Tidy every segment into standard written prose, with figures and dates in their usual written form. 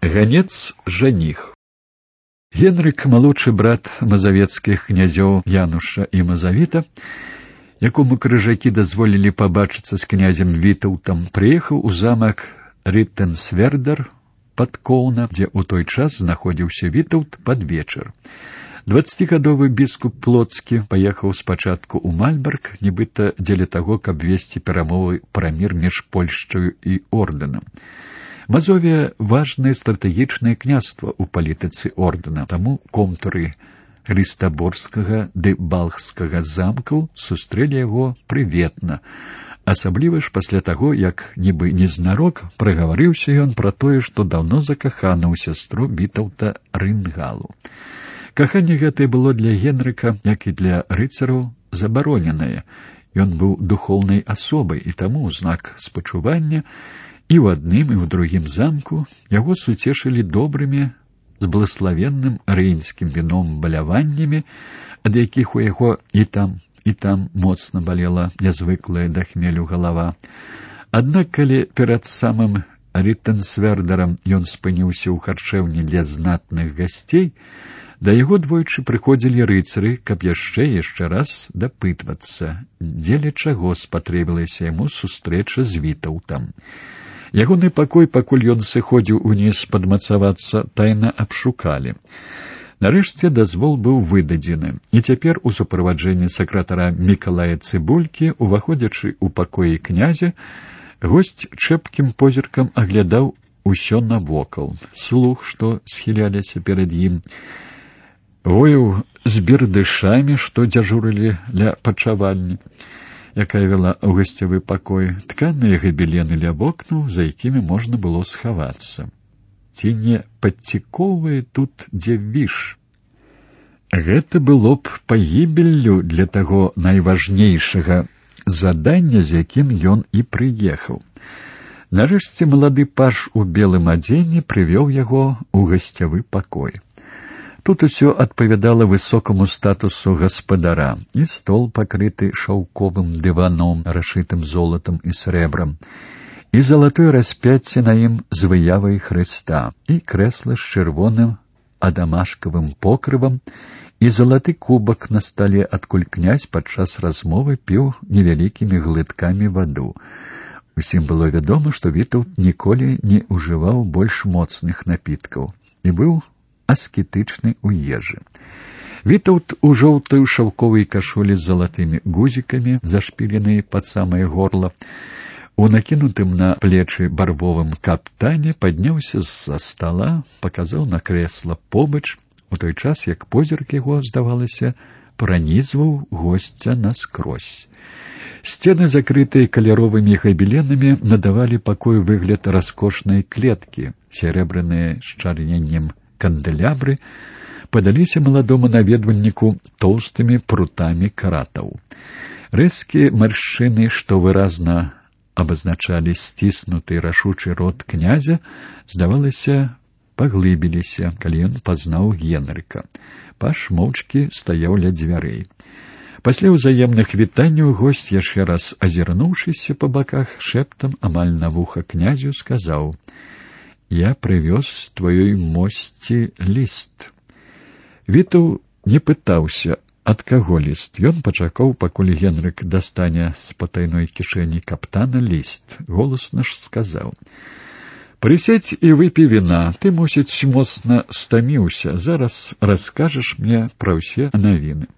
Ганец-жаніх. Генрык, малодшы брат мазавецкіх князёў Януша і Мазавіта, якому крыжакі дазволілі пабачыцца з князем Вітаўтам, прыехаў у замак Рыттэнсвердар пад Коўна, дзе ў той час знаходзіўся Вітаўт пад вечар. 20гадовы біскуп Плоцкі паехаў спачатку ў Мальберг, нібыта дзеля таго, каб весці перамовы пра мір між Польшчаю і ордэнам. Мазовія – важнае стратэгічнае княства ў палітыцы ордэна, таму комтуры Рыстаборскага ды Балхскага замкаў сустрэлі яго прыветна, асабліва ж пасля таго, як нібы незнарок прагаварыўся ён пра тое, што даўно закаханы ў сястру Вітаўта Рынгалу. Каханне гэтае было для Генрыка, як і для рыцараў, забароненае. Ён быў духоўнай асобай, і таму ў знак спачування і ў адным, і ў другім замку яго суцешылі добрымі, з благословенным рейнскім віном баляваннямі, ад якіх у яго і там моцна балела нязвыклая да хмелю галава. Аднак, калі перад самым Рыттэнсвердарам ён спыніўся ў харчэўні для знатных гасцей, да яго двойчы прыходзілі рыцары, каб яшчэ раз дапытвацца, дзеля чаго спатрэбілася яму сустрэча з Вітаўтам. Ягоны пакой, пакуль ён сыходзіў уніз падмацавацца, тайна абшукалі. Нарэшце дазвол быў выдадзены, і цяпер у суправаджэнні сакратара Мікалая Цыбулькі, уваходзячы ў пакоі князя, госць чэпкім позіркам аглядаў усё навокал. Слух, што схіляліся перад ім, вояў з бердышамі, што дзяжурылі ля пачавальні, якая вела ў гасцявы пакой, тканыя габелены ля вокнаў, за якімі можна было схавацца. Ці не падцікоўвае тут дзе віш? Гэта было б пагібеллю для таго найважнейшага задання, з якім ён і прыехаў. Нарэшце малады паж у белым адзенні прывёў яго ў гасцявы пакой. Тут усё адпавядала высокаму статусу гаспадара, і стол пакрыты шаўковым дываном, расшытым золатам і срэбрам, і залатое распяцце на ім з выявай Хрыста, і крэсла з чырвоным адамашкавым покрывам, і залаты кубак на стале, адкуль князь падчас размовы піў невялікімі глыткамі ваду. Усім было вядома, што Вітаўт ніколі не ўжываў больш моцных напіткаў і быў аскетычны ў ежы. Вітаўт у жоўтай шаўковай кашулі з залатымі гузікамі, зашпіленай пад самае горла, у накінутым на плечы барвовым каптане падняўся з-за стала, паказаў на крэсла побач, у той час, як позірк яго, здавалася, пранізваў госця наскрозь. Сцены, закрытыя каляровымі габеленамі, надавалі пакою выгляд раскошнай клеткі, серэбраныя з чарненнем канделябры падаліся маладому наведвальніку тоўстымі прутамі каратаў. Рэзкія маршчыны, што выразна абазначалі сціснуты рашучы рот князя, здавалася, паглыбіліся, калі ён пазнаў Генрыка. Паж моўчкі стаяў ля дзвярэй. Пасля ўзаемных вітанняў госць, яшчэ раз азірнуўшыся па баках, шэптам амаль на вуха князю сказаў: «Я прывёз тваёй мосці ліст». Вітаў не пытаўся, ад каго ліст. Ён пачакаў, пакуль Генрык дастане з патайной кішэні каптана ліст. Голасна ж сказаў: «Прысядзь і выпі віна, ты, мусіць, моцна стаміўся, зараз раскажаш мне пра ўсе навіны».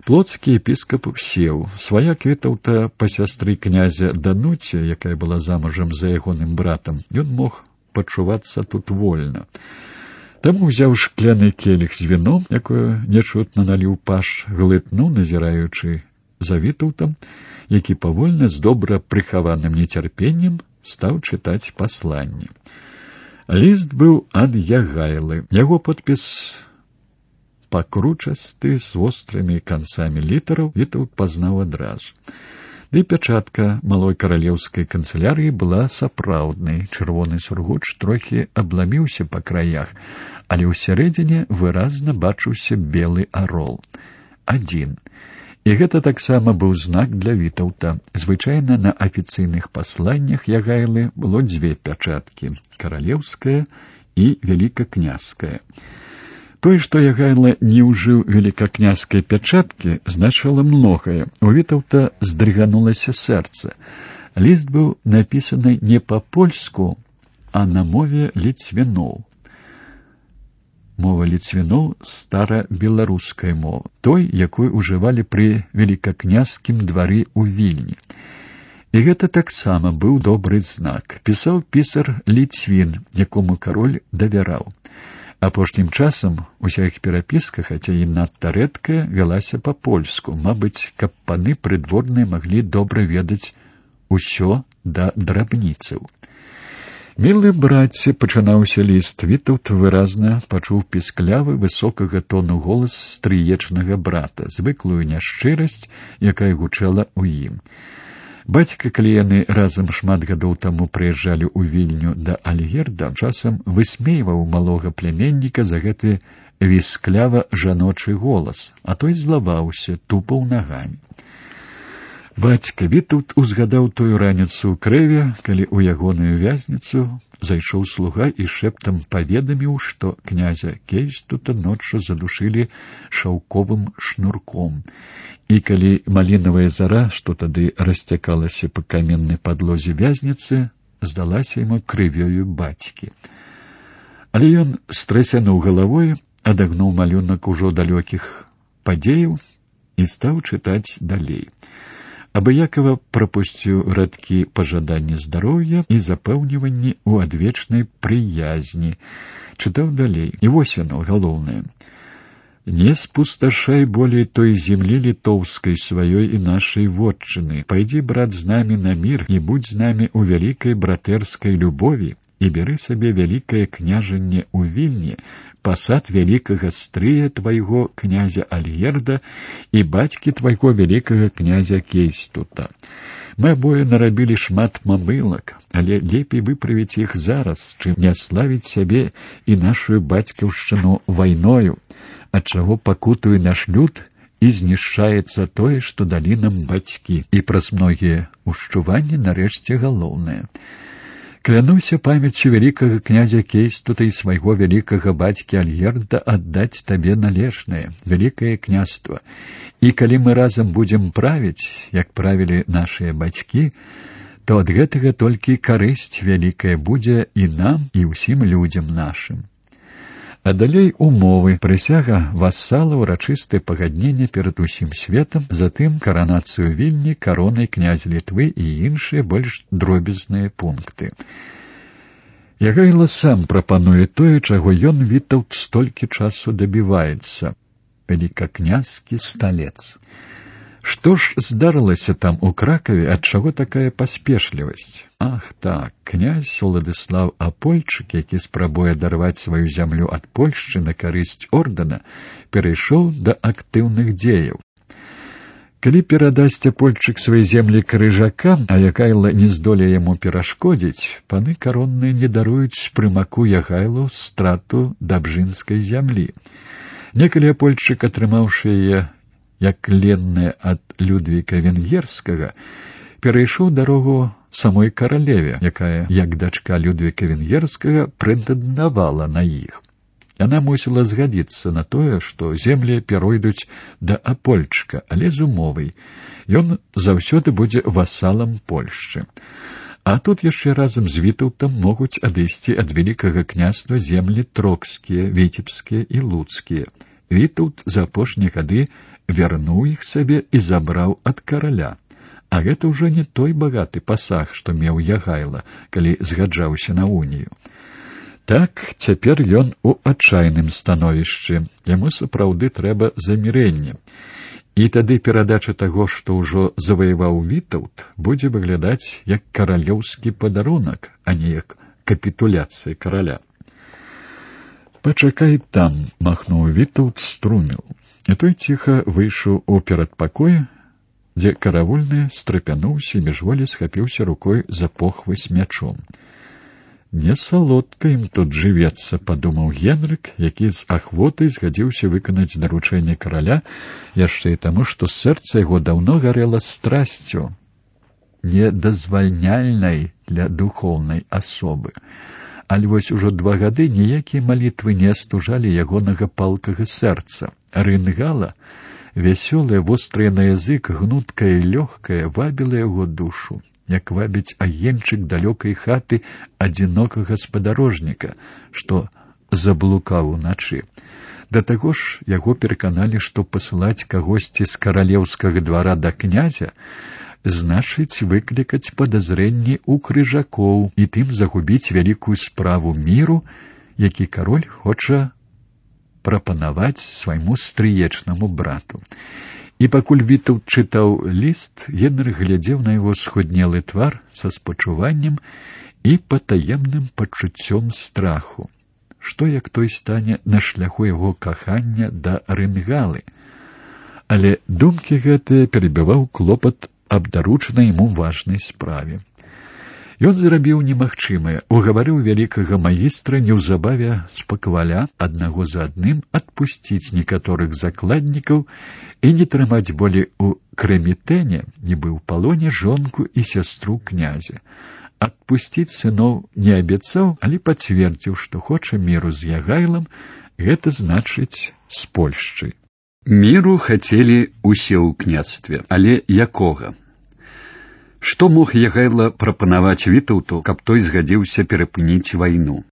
Плоцкі епіскап сеў. Сваяк Вітаўта па сястры князя Дануця, якая была замужам за ягоным братам, ён мог пачувацца тут вольна. Таму, ўзяў шкляны келіх з віном, якое нечутна наліў паж, глытнуў, назіраючы за Вітаўтам, які павольна, з добра прыхаваным нецярпеннем, стаў чытаць пасланне. Ліст быў ад Ягайлы. Яго подпіс пакручасты, з вострымі канцамі літараў, Вітаўт пазнаў адразу. Ды пячатка малой каралеўскай канцылярыі была сапраўднай. Чырвоны сургуч трохі абламіўся па краях, але ўсярэдзіне выразна бачыўся белы арол. Адзін. І гэта таксама быў знак для Вітаўта. Звычайна на афіцыйных пасланнях Ягайлы было дзве пячаткі — каралеўская і велікакняская. Тое, што Ягайла не ўжыў велікакняскай пячаткі, значыла многае. У Вітаўта здрыганулася сэрца. Ліст быў напісаны не па-польску, а на мове ліцвіноў. Мова ліцвіноў — старабеларуская мова, той, якую ўжывалі пры велікакняскім двары ў Вільні. І гэта таксама быў добры знак. Пісаў пісар ліцвін, якому кароль давяраў. Апошнім часам уся іх перапіска, хаця і надта рэдкая, вялася па-польску, мабыць, каб паны прыдворныя маглі добра ведаць усё да драбніцаў. «Мілы браце», — пачынаўся ліст, Вітаўт выразна пачуў пісклявы, высокага тону голас стрыечнага брата, звыклую няшчырасць, якая гучала ў ім. Бацька, калі яны разам шмат гадоў таму прыязджалі ў Вільню да Альгерда, часам высмейваў малога пляменніка за гэты вісклява-жаночы голас, а той злаваўся, тупаў нагамі. Бацька, Вітаўт узгадаў тую раніцу ў Крэве, калі ў ягоную вязніцу зайшоў слуга і шэптам паведаміў, што князя Кейстута ноччу задушылі шаўковым шнурком. І калі малінавая зара, што тады расцякалася па каменнай падлозе вязніцы, здалася яму крывёю бацькі. Але ён стрэсянуў галавой, адагнуў малюнак ужо далёкіх падзеяў і стаў чытаць далей. Абыякава прапусціў радкі пажаданні здароўя і запэўніванні ў адвечнай прыязні. Чытаў далей. І вось яно, галоўнае. «Не спусташай болей той землі літоўскай сваёй і нашай вотчыны. Пайдзі, брат, з намі на мір і будзь з намі ў вялікай братэрскай любові і бяры сабе вялікае княжанне ў Вільні, пасад вялікага стрыя твайго князя Альгерда і бацькі твайго вялікага князя Кейстута. Мы абое нарабілі шмат мамылак, але лепей выправіць іх зараз, чым не славіць сябе і нашую бацькаўшчыну вайною, ад чаго пакутуе наш люд і знішчаецца тое, што далі нам бацькі». І праз многія ушчуванні нарэшце галоўнае. «Клянуся памяццю вялікага князя Кейстута і свайго вялікага бацькі Альгерда аддаць табе належнае, вялікае княства. І калі мы разам будзем правіць, як правілі нашыя бацькі, то ад гэтага толькі карысць вялікая будзе і нам, і ўсім людзям нашым». А далей умовы, прысяга васала, урачыстае пагадненне перад усім светам, затым каранацыю Вільні каронай князя Літвы і іншыя больш дробязныя пункты. Ягайла сам прапануе тое, чаго ён, Вітаўт, столькі часу дабіваецца — велікакняскі сталец. Што ж здарылася там у Кракаве, ад чаго такая паспешлівасць? Ах так, князь Уладыслав Апольчык, які спрабуе адарваць сваю зямлю ад Польшчы на карысць ордэна, перайшоў да актыўных дзеяў. Калі перадасць Апольчык свае землі крыжакам, а Ягайла не здолее яму перашкодзіць, паны каронныя не даруюць прымаку Ягайлу страту дабжынскай зямлі. Некалі Апольчык, атрымаўшы яе як ленная ад Людвіка Венгерскага, перайшоў дарогу самой каралеве, якая, як дачка Людвіка Венгерскага, прэтэндавала на іх. Яна мусіла згадзіцца на тое, што землі перайдуць да Апольчыка, але з умовай. Ён заўсёды будзе васалам Польшчы. А тут яшчэ разам з Вітаўтам могуць адысці ад вялікага княства землі трокскія, віцебскія і луцкія. Вітаўт за апошнія гады вярнуў іх сабе і забраў ад караля. А гэта ўжо не той багаты пасаг, што меў Ягайла, калі згаджаўся на унію. Так, цяпер ён у адчайным становішчы. Яму сапраўды трэба замірэнне. І тады перадача таго, што ўжо заваяваў Вітаўт, будзе выглядаць як каралеўскі падарунак, а не як капітуляцыя караля. «Пачакай там», — махнуў Вітаўт струміл. І той ціха выйшаў у перадпакой, дзе каравульны страпянуўся і міжволі схапіўся рукой за похвы з мячом. Не салодка ім тут жывецца, падумаў Генрык, які з ахвотай згадзіўся выканаць даручэнне караля, яшчэ і таму, што сэрца яго даўно гарэла страсцю, недазвальняльнай для духоўнай асобы. Але вось ужо 2 гады ніякія малітвы не астужалі ягонага палкага сэрца. Рынгала, вясёлая, вострая на язык, гнуткая і лёгкая, вабіла яго душу, як вабіць агеньчык далёкай хаты адзінокага спадарожніка, што заблукаў уначы. Да таго ж яго пераканалі, што пасылаць кагосьці з каралеўскага двара да князя значыць выклікаць падазрэнні ў крыжакоў і тым загубіць вялікую справу міру, які кароль хоча прапанаваць свайму стрыечнаму брату. І пакуль Вітаўт чытаў ліст, Генрых глядзеў на яго схуднелы твар са спачуваннем і патаемным пачуццём страху. Што як той стане на шляху яго кахання да Рынгалы? Але думкі гэтыя перабіваў клопат аб даручанай яму важнай справе. Ён зрабіў немагчымае, угаварыў вялікага магістра неўзабаве з пакваля аднаго за адным адпусціць некаторых закладнікаў і не трымаць болей у Крэмітэне, нібы ў палоне, жонку і сястру князя. Адпусціць сыноў не абяцаў, але пацвердзіў, што хоча міру з Ягайлам, гэта значыць з Польшчай. Міру хацелі усе ў княстве, але якога? Што мог Ягайла прапанаваць Вітаўту, каб той згадзіўся перапыніць вайну?